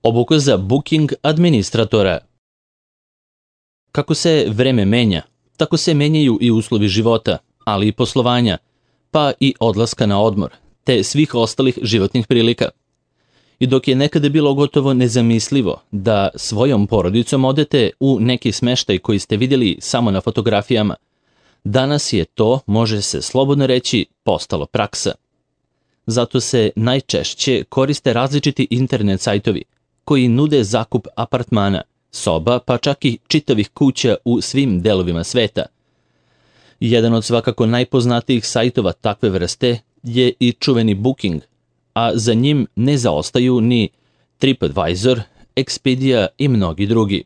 Obuka za booking administratora. Kako se vreme menja, tako se menjaju i uslovi života, ali i poslovanja, pa i odlaska na odmor, te svih ostalih životnih prilika. I dok je nekada bilo gotovo nezamislivo da svojom porodicom odete u neki smeštaj koji ste vidjeli samo na fotografijama, danas je to, može se slobodno reći, postalo praksa. Zato se najčešće koriste različiti internet sajtovi koji nude zakup apartmana, soba, pa čak i čitavih kuća u svim delovima sveta. Jedan od svakako najpoznatijih sajtova takve vrste je i čuveni Booking, a za njim ne zaostaju ni TripAdvisor, Expedia i mnogi drugi.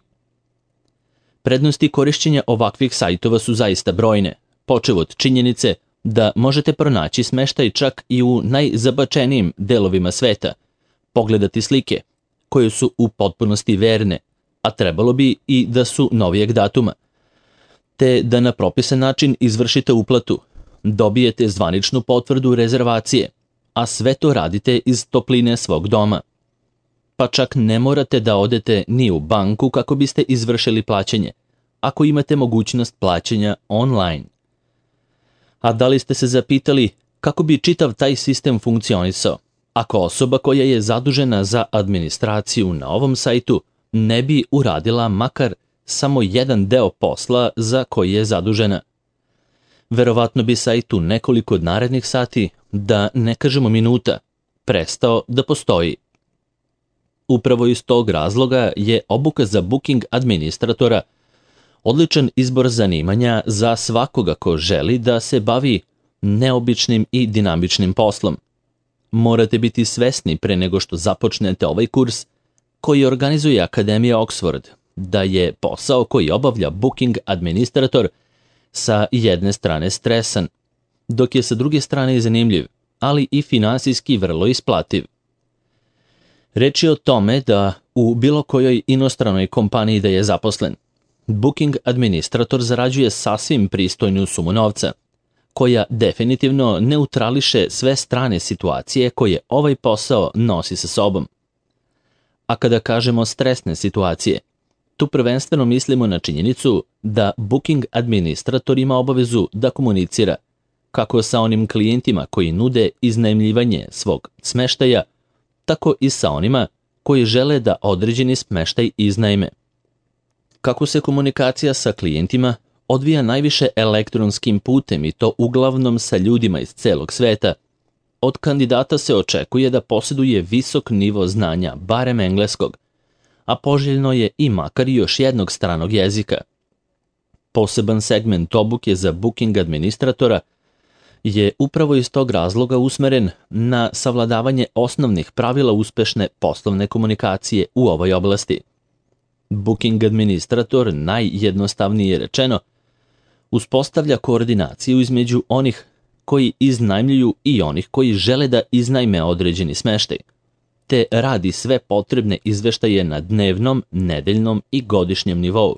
Prednosti korišćenja ovakvih sajtova su zaista brojne, počev od činjenice da možete pronaći smeštaj čak i u najzabačenijim delovima sveta, pogledati slike koje su u potpunosti verne, a trebalo bi i da su novijeg datuma, te da na propisan način izvršite uplatu, dobijete zvaničnu potvrdu rezervacije, a sve to radite iz topline svog doma. Pa čak ne morate da odete ni u banku kako biste izvršili plaćanje, ako imate mogućnost plaćanja online. A da li ste se zapitali kako bi čitav taj sistem funkcionisao, ako osoba koja je zadužena za administraciju na ovom sajtu ne bi uradila makar samo jedan deo posla za koji je zadužena? Verovatno bi sajt u nekoliko narednih sati, da ne kažemo minuta, prestao da postoji. Upravo iz tog razloga je obuka za booking administratora odličan izbor zanimanja za svakoga ko želi da se bavi neobičnim i dinamičnim poslom. Morate biti svesni pre nego što započnete ovaj kurs koji organizuje Akademija Oxford, da je posao koji obavlja booking administrator sa jedne strane stresan, dok je sa druge strane zanimljiv, ali i finansijski vrlo isplativ. Reč je o tome da u bilo kojoj inostranoj kompaniji da je zaposlen, booking administrator zarađuje sasvim pristojnu sumu novca, koja definitivno neutrališe sve strane situacije koje ovaj posao nosi sa sobom. A kada kažemo stresne situacije, tu prvenstveno mislimo na činjenicu da booking administrator ima obavezu da komunicira kako sa onim klijentima koji nude iznajmljivanje svog smeštaja, tako i sa onima koji žele da određeni smeštaj iznajme. Kako se komunikacija sa klijentima odvija najviše elektronskim putem i to uglavnom sa ljudima iz celog sveta, od kandidata se očekuje da posjeduje visok nivo znanja, barem engleskog, a poželjno je i makar još jednog stranog jezika. Poseban segment obuke za booking administratora je upravo iz tog razloga usmeren na savladavanje osnovnih pravila uspešne poslovne komunikacije u ovoj oblasti. Booking administrator, najjednostavnije rečeno, uspostavlja koordinaciju između onih koji iznajmljuju i onih koji žele da iznajme određeni smeštaj, te radi sve potrebne izveštaje na dnevnom, nedeljnom i godišnjem nivou.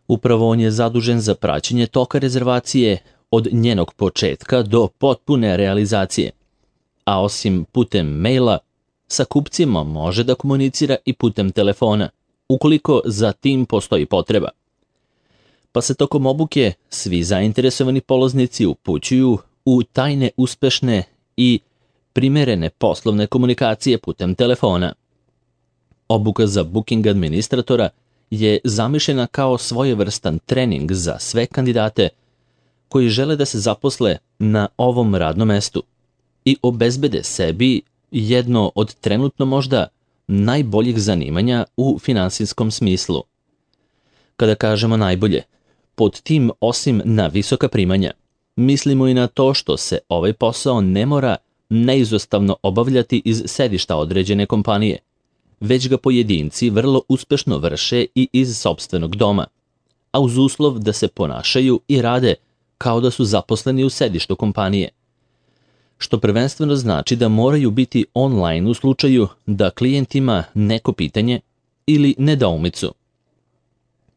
Upravo on je zadužen za praćenje toka rezervacije od njenog početka do potpune realizacije, a osim putem maila, sa kupcima može da komunicira i putem telefona, ukoliko za tim postoji potreba. Pa se tokom obuke svi zainteresovani polaznici upućuju u tajne uspešne i primerene poslovne komunikacije putem telefona. Obuka za booking administratora je zamišljena kao svojevrstan trening za sve kandidate koji žele da se zaposle na ovom radnom mestu i obezbede sebi jedno od trenutno možda najboljih zanimanja u finansijskom smislu. Kada kažemo najbolje, pod tim osim na visoka primanja, mislimo i na to što se ovaj posao ne mora neizostavno obavljati iz sedišta određene kompanije, već ga pojedinci vrlo uspešno vrše i iz sopstvenog doma, a uz uslov da se ponašaju i rade kao da su zaposleni u sedištu kompanije, što prvenstveno znači da moraju biti online u slučaju da klijent ima neko pitanje ili nedoumicu.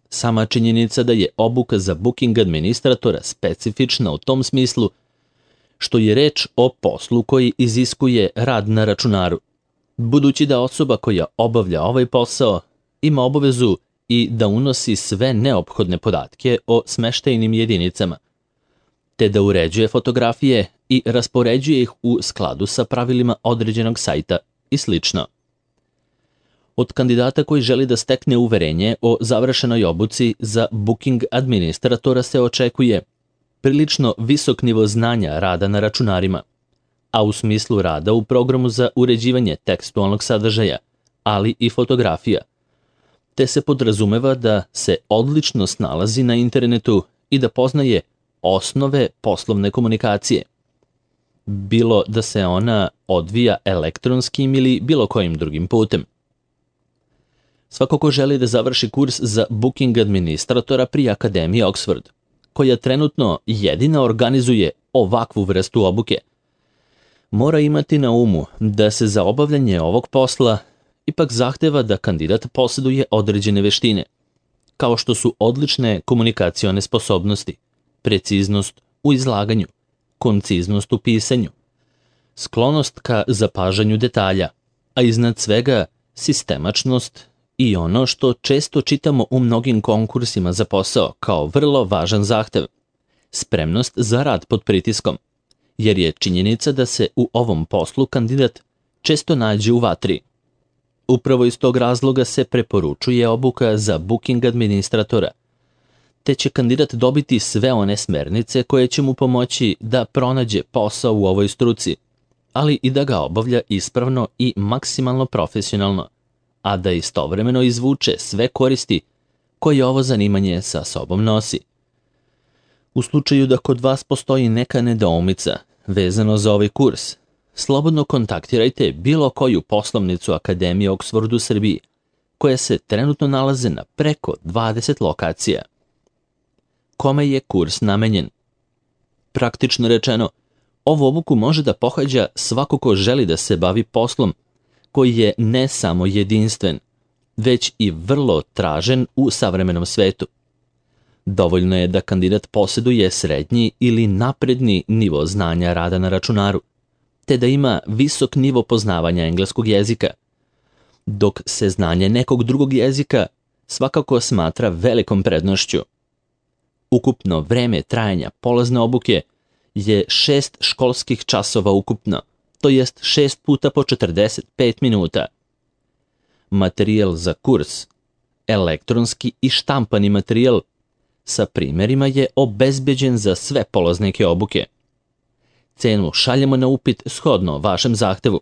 Sama činjenica da je obuka za booking administratora specifična u tom smislu što je reč o poslu koji iziskuje rad na računaru, Budući da osoba koja obavlja ovaj posao ima obavezu i da unosi sve neophodne podatke o smeštajnim jedinicama, te da uređuje fotografije i raspoređuje ih u skladu sa pravilima određenog sajta i sl. Od kandidata koji želi da stekne uverenje o završenoj obuci za booking administratora se očekuje prilično visok nivo znanja rada na računarima, a u smislu rada u programu za uređivanje tekstualnog sadržaja, ali i fotografija, te se podrazumeva da se odlično snalazi na internetu i da poznaje osnove poslovne komunikacije, bilo da se ona odvija elektronskim ili bilo kojim drugim putem. Svako ko želi da završi kurs za booking administratora pri Akademiji Oxford, koja trenutno jedina organizuje ovakvu vrstu obuke, mora imati na umu da se za obavljanje ovog posla ipak zahteva da kandidat posjeduje određene veštine, kao što su odlične komunikacione sposobnosti, preciznost u izlaganju, konciznost u pisanju, sklonost ka zapažanju detalja, a iznad svega sistemačnost i ono što često čitamo u mnogim konkursima za posao kao vrlo važan zahtev, spremnost za rad pod pritiskom, jer je činjenica da se u ovom poslu kandidat često nađe u vatri. Upravo iz tog razloga se preporučuje obuka za booking administratora, te će kandidat dobiti sve one smernice koje će mu pomoći da pronađe posao u ovoj struci, ali i da ga obavlja ispravno i maksimalno profesionalno, a da istovremeno izvuče sve koristi koje ovo zanimanje sa sobom nosi. U slučaju da kod vas postoji neka nedoumica vezano za ovaj kurs, slobodno kontaktirajte bilo koju poslovnicu Akademije Oxford u Srbiji, koje se trenutno nalaze na preko 20 lokacija. Kome je kurs namenjen? Praktično rečeno, ovu obuku može da pohađa svako ko želi da se bavi poslom koji je ne samo jedinstven, već i vrlo tražen u savremenom svetu. Dovoljno je da kandidat posjeduje srednji ili napredni nivo znanja rada na računaru, te da ima visok nivo poznavanja engleskog jezika, dok se znanje nekog drugog jezika svakako smatra velikom prednošću. Ukupno vreme trajanja polazne obuke je 6 školskih časova ukupno, to jest 6 puta po 45 minuta. Materijal za kurs, elektronski i štampani materijal sa primjerima je obezbeđen za sve polaznike obuke. Cenu šaljemo na upit shodno vašem zahtevu.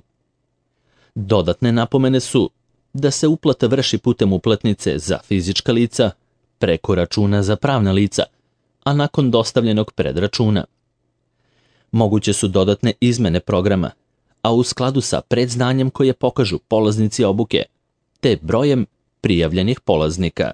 Dodatne napomene su da se uplata vrši putem uplatnice za fizička lica, preko računa za pravna lica, a nakon dostavljenog predračuna. Moguće su dodatne izmene programa, a u skladu sa predznanjem koje pokažu polaznici obuke, te brojem prijavljenih polaznika.